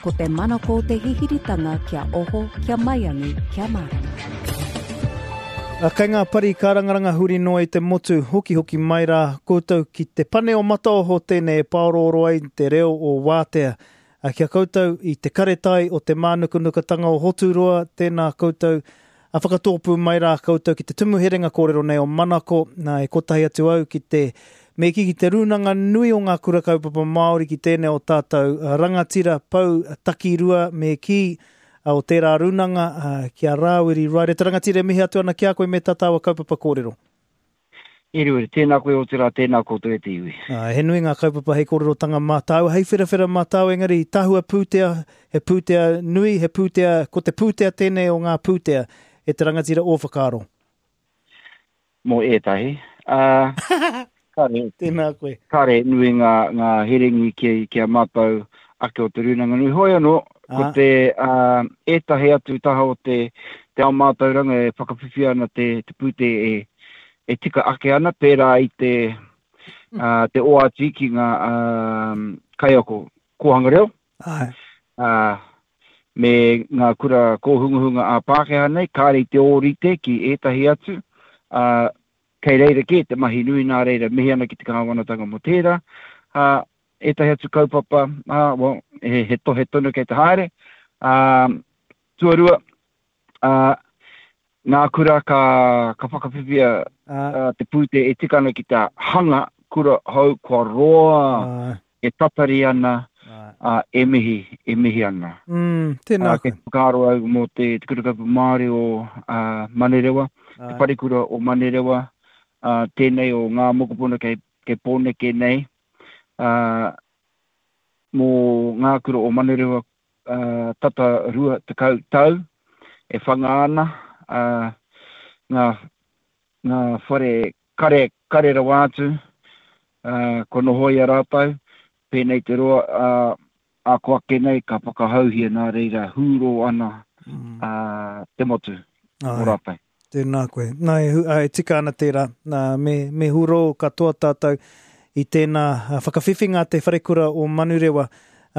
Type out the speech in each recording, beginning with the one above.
Ko te manako te hihiritanga kia oho, kia maiangi, kia mārama. A, kei ngā pari kārangaranga huri noa i te motu, hokihoki mai rā koutou ki te pane o Mataoho tēnei e pāorooro ai te reo o Wātea. A, ki a koutou i te karetai o te mānukanukatanga o Hoturoa, tēnā koutou, a whakatōpū mai rā koutou ki te tumu herenga kōrero nei o Manako, nā, e kotahi atu au ki te, me kī ki te rūnanga nui o ngā kura kaupapa Māori ki tēnei o tātou rangatira pou takirua me kī o tērā rūnanga, ki a Rāwiri Ryder. Te rangatira e mihi atu ana ki a koe me tā tāua kaupapa kōrero. E Rua, tēnā koe otirā tēnā koutou e te iwi. Ā, he nui ngā kaupapa hei kōrerotanga mā tāua, hei wherawhera mā tāua, engari tahua pūtea, he pūtea nui, he pūtea, ko te pūtea tēnei o ngā pūtea, e te rangatira ō whakaaro. Mō ētahi, ā, kāre, Tēnā koe. kāre nui ngā, ngā herengi ki, ki a mātou ake o Te Rūnanga Nui. Hoi anō, ko te, ā, ētahi atu taha o te, te ao mātauranga e whakawhiwhia ana te, te pūtea e, e tika ake ana, pērā i te, ā, te oati ki ngā, ā, kaiako kōhanga reo, Āe. ā, me ngā kura kōhungahunga ā-Pākehā nei, kāre i te ōrite ki ētahi atu, ā, kei reira kē te mahi nui nā reira mihi ana ki te kāwanatanga mō tērā, ā, ētahi atu kaupapa, ā, well, he, he tohe tonu kei te haere. Ā, tuarua, ā, ngā kura ka, ka whakawhiwhia ā, te pūtea e tika ana ki te hanga kura hou kua roa ā. e tatari ana, ā, e mihi, e mihi ana. Mm, tēnā koe. Kei te whakaaro au mō te, te Kura Kaupapa Māori o ā, Manurewa, te Wharekura o Manurewa, ā, tēnei o ngā mokopuna kei, kei Pōneke nei, ā, mō ngā kura o Manurewa, ā, tata 20 tau e whanga ana, ā, ngā, ngā whare kare, kare rawa atu, ā, kua nohoia rātou, pēnei te roa, ā, ā ko ake nei ka whakahauhia nā reira hūrō ana, ā, te motu mō rātou. Tēnā koe. Nā, e, e tika ana tērā. Nā, me, me hūrō katoa tātou i tēnā whakawhiwhinga a te Wharekura o Manurewa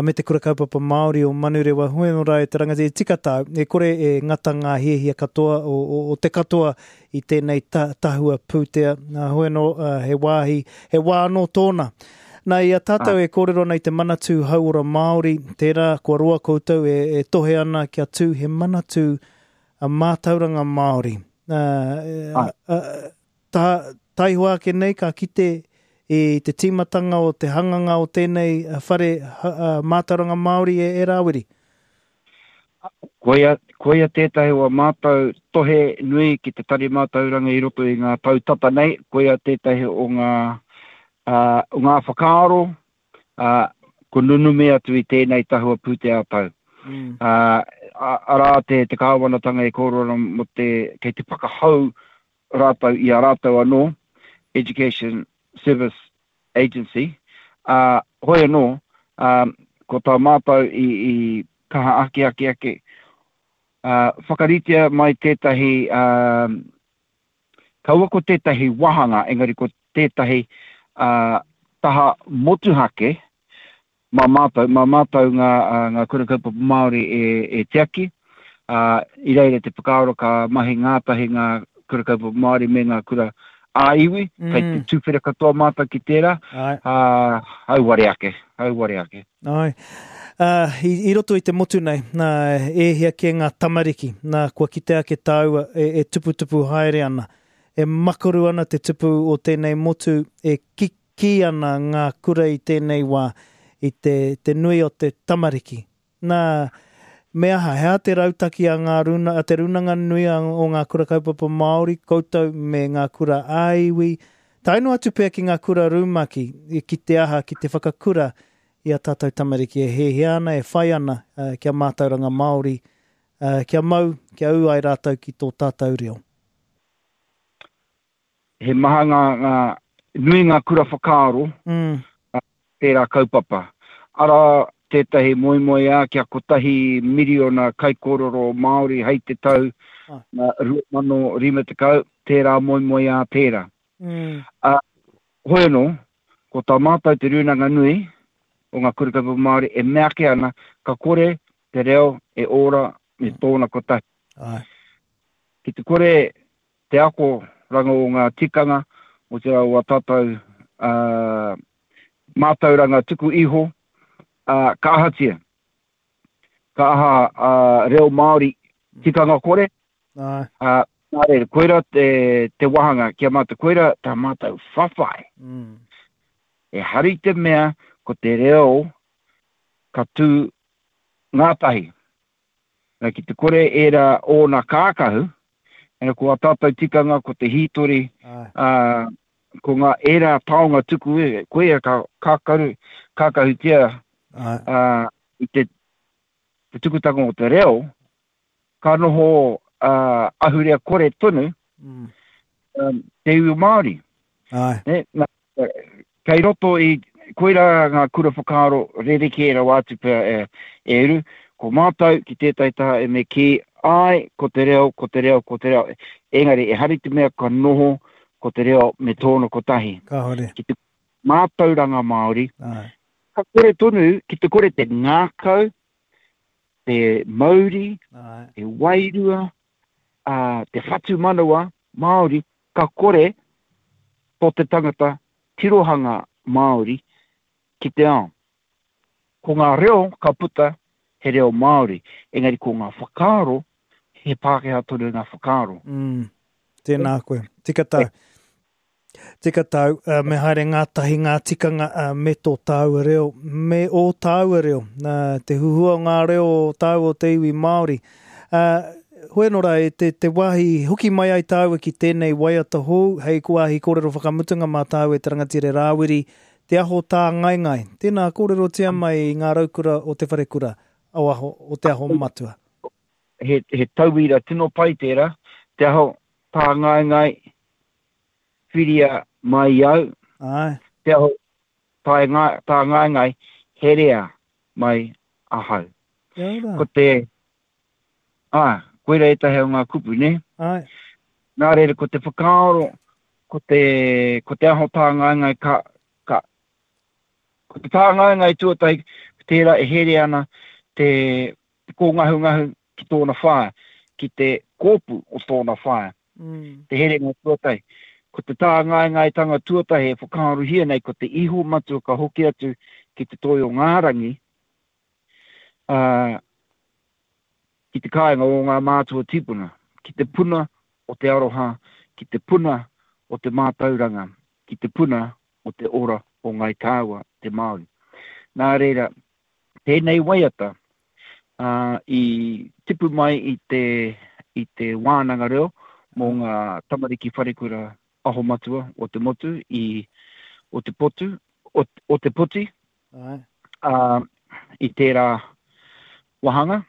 me te Kura Kaupapa Māori o Manurewa. Hoi anō rā e te rangatira, e tika tāu, e kore e ngata ngā hiahia katoa o, o, o te katoa i tēnei ta, tahua pūtea. Nā, hoi anō, he wāhi, he wā anō tōna. Nā, i a tātou e kōrero ana i te Manatū Hauora Māori, tērā kua roa koutou e, e tohe ana kia tū he manatū mātauranga Māori. Nā, ta, taihoa ake nei ka kite i te tīmatanga o te hanganga o tēnei whare mātauranga Māori e, e Rāwiri. Koia, koia tētahi o a mātou tohe nui ki te Tari Mātauranga i roto i ngā tau tata nei, koia tētahi o ngā, uh, o ngā whakaaro, uh, ko nunumi atu i tēnei tahua pūtea tau. Mm. Uh, arā te, te kāwanatanga e kōrero ana mō te, kei te whakahau rātou i a rātou anō, Education Service Agency, ā, hoi anō, ā, ko tā mātou i, i kaha ake ake ake, ā, whakaritea mai tētahi, ā, kaua ko tētahi wāhanga, engari ko tētahi, ā, taha motuhake, Mā mātou, mā mātou ngā, ngā kura kaupapa Māori e, e tiaki, ā, i reira te whakaaro ka mahi ngātahi ngā kura kaupapa Māori me ngā kura ā-iwi, mm. kei te tuwhera katoa mātou ki tērā, ā, auare ake, auare ake. Ai. Uh, i, i roto i te motu nei, nā, e hia kē ngā tamariki, nā, kua kite ake tāua e, e tuputupu haere ana. E makaru ana te tupu o tēnei motu, e ki, Kī ana ngā kura i tēnei wā i te, te nui o te tamariki. Nā, me aha, he aha te rautaki a ngā runa, a te Rūnanga Nui a, o ngā Kura Kaupapa Māori, koutou me ngā kura ā-iwi, tae noa atu pea ki ngā kura rumaki, ki te aha, ki te whakakura i a tātou tamariki e hiahia ana, e whai ana kia mātauranga Māori, kia mau, kia ū ai rātou ki tō tātou reo. He maha ngā, ngā, nui ngā kura whakaaro mm. tērā kaupapa. Arā tētahi moemoeā kia kotahi miriona kaikōrero Māori hei te tau ah. 2050, tērā moemoeā tērā. Mm. Uh, hoi anō, ko tā mātou te Rūnanga Nui, o ngā Kura Kaupapa Māori e mea ake ana ka kore te reo e ora me tōna kotahi. Āe. Ki te kore te akoranga o ngā tikanga, otirā o ā tātou mātauranga tuku iho, ā, ka ahatia? Ka aha a reo Māori tikanga kore? Āe. Ā, nā reira, koirā te, te wāhanga ki a mātou, koirā tā mātou whawhai. Mm. Ehara i te mea ko te reo ka tū ngātahi. Nā, ki te kore ērā ōna kākahu, ena ko ā tātou tikanga, ko te hītori, ā, ko ngā ērā taonga tuku, koia ka kākaru, kākahutia ā, i te, te tukutanga o te reo, ka noho ā, ahurea kore tonu mm. um, te iwi Māori. Āe. Ne? Na, kei roto i, koirā ngā kura whakaaro rerekē rawa atu pea e, e uru, ko mātou ki tētahi taha e me kī, āe, ko te reo, ko te reo, ko te reo, engari ehara i te mea ka noho ko te reo me tōna kotahi. Kāore. Ki te mātauranga Māori, Āe. ka kore tonu, ki te kore te ngākau, te mauri, Āe. te wairua, ā, te whatumanawa Māori, ka kore tō te tangata tirohanga Māori ki te ao. Ko ngā reo ka puta he reo Māori, engari ko ngā whakaaro he Pākehā tonu ngā whakaaro. Mm, tēnā koe. Tika tāu. Tika tāu, uh, me haere ngātahi ngā tikanga uh, me tō tāua reo, me ō tāua reo, uh, te huhua o ngā reo o tāua o te iwi Māori. Uh, Hoi anō rā, e te, te wāhi hoki mai ai tāua ki tēnei waiata hou, hei wāhi kōrero whakamutunga mā tāua e te rangatira Rāwiri, Te Aho Tāngaengae. Tēnā, kōrerotia mai i ngā raukura o Te Wharekura, o Aho, o Te Aho Matua. He, he tauira tino pai tērā, Te Aho Tāngaengae, whiria mai au. Āe. Te Aho Tāngaengae, herea mai ahau. Kia ora. Ko te, Ā, koira ētahi o ngā kupu, nē? Āe. Nā reira, ko te whakaaro, ko te, ko te aho tāngaengae ka, ka, ko te tāngaengae tuatahi, tērā e here ana te, te kōngahungahu ki tōna whaea, ki te kōpū o tōna whaea. Mm. Te herenga tuatahi. Ko te tāngaengaetanga tuatahi e whakaarohia nei, ko te iho matua ka hoki atu ki te toi o ngā rangi, ā, ki te kāinga o ngā mātua tīpuna, ki te puna o te aroha, ki te puna o te mātauranga, ki te puna o te ora o Ngāi Tāua, te Māori. Nā reira, tēnei waiata, ā, i tipu mai i te, i te wānanga reo mō ngā tamariki wharekura aho matua o te motu i Ōtepotu, o, Ōtepoti, Āe. Ā, i tērā wāhanga,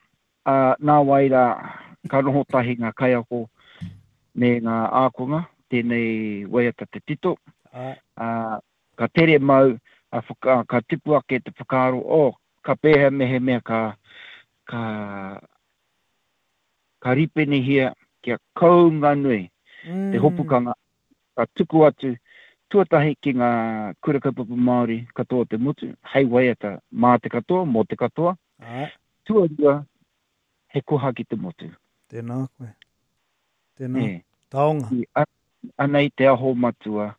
ā, nāwai rā ka noho tahi ngā kaiako me ngā ākonga, tēnei waiata te tito, Āe. ā, ka tere mau, ā, whaka, ka tipu ake te whakaaro, oh, ka pēhea mehemea ka, ka, ka ripenehia kia kounga nui te hopukanga ka tuku atu tuatahi ki ngā kura kaupapa Māori katoa o te motu, hei waiata mā te katoa, mō te katoa. Āe. Tuarua, he koha ki te motu. Tēnā koe. Tēnā. Nē. Taonga. I, anei te aho matua,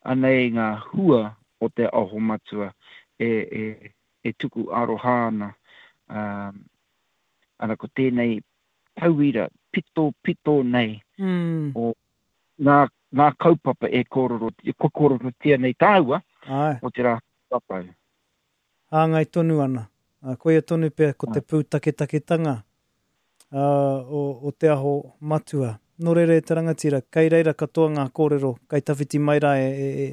anei ngā hua o te aho matua e, e, e tuku aroha ana. Ā, ana ko tēnei tauira pitopito nei mm. o ngā, ngā kaupapa e kōrero, kua kōrerotia nei tāua, Āe. o te rā tātou. Hāngai tonu ana. Ā, koia tonu pea ko te pūtaketaketanga ā, o, o Te Aho Matua. Nō reira e te rangatira, kei reira katoa ngā kōrero, kei tawhiti mai rā e, e,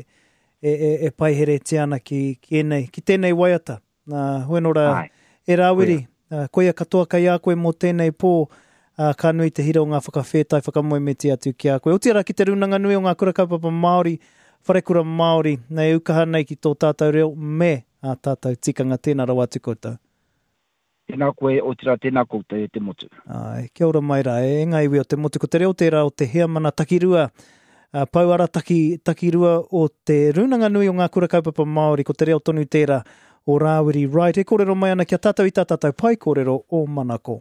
e, e, e paiheretia ana ki, ki, ēnei, ki tēnei waiata. Nā, hoi nō rā, e Rāwiri, koia. koia katoa kei a koe mō tēnei pō, ā, ka nui te hira o ngā whakawhētai whakamoemiti atu ki a koe. Otirā ki te Rūnanga Nui o ngā Kura Kaupapa Māori, Wharekura Māori, nei ukaha nei ki tō tātou reo me ā tātou tikanga. Tēnā rawa atu koutou. Tēnā koe, otirā tēnā koutou e te motu. Āe, kia ora mai rā, e ngā iwi o te motu. Ko te reo tērā o te heamana takirua, ā, pou arataki takirua o te Rūnanga Nui o Ngā Kura Kaupapa Māori, ko te reo tonu tērā. o Rāwiri Wright e kōrero mai ana ki a tātou i tā tātou pae kōrero o Manako.